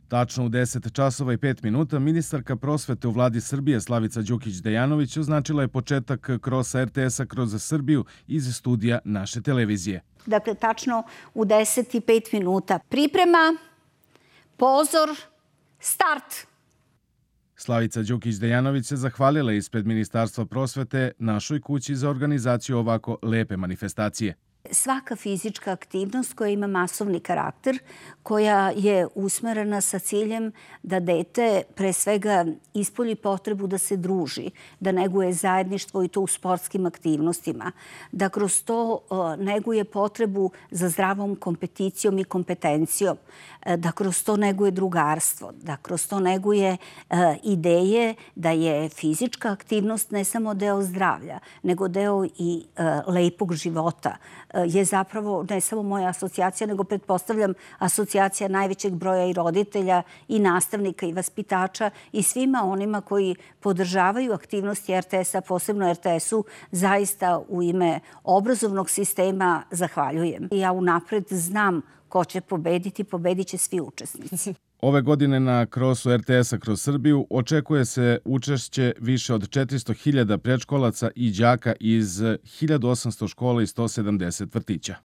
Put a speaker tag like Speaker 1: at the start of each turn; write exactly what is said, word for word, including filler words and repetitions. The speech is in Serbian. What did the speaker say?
Speaker 1: Tačno u deset časova i pet minuta ministarka prosvete u vladi Srbije Slavica Đukić Dejanović označila je početak krosa er te esa kroz Srbiju iz studija naše televizije.
Speaker 2: Dakle, tačno u deset i pet minuta. Priprema, pozor, start!
Speaker 1: Slavica Đukić Dejanović se zahvalila ispred Ministarstva prosvete našoj kući za organizaciju ovako lepe manifestacije.
Speaker 2: Svaka fizička aktivnost koja ima masovni karakter, koja je usmerena sa ciljem da dete pre svega ispolji potrebu da se druži, da neguje zajedništvo i to u sportskim aktivnostima, da kroz to neguje potrebu za zdravom kompeticijom i kompetencijom, da kroz to neguje drugarstvo, da kroz to neguje ideje da je fizička aktivnost ne samo deo zdravlja, nego deo i lepog života, je zapravo ne samo moja asocijacija, nego pretpostavljam asocijacija najvećeg broja i roditelja i nastavnika i vaspitača i svima onima koji podržavaju aktivnosti er te esa, posebno er te esu, zaista u ime obrazovnog sistema zahvaljujem. Ja unapred znam ko će pobediti, pobedit će svi učesnici.
Speaker 1: Ove godine na krosu er te esa kroz Srbiju očekuje se učešće više od četiristo hiljada predškolaca i đaka iz hiljadu osamsto škola i sto sedamdeset vrtića.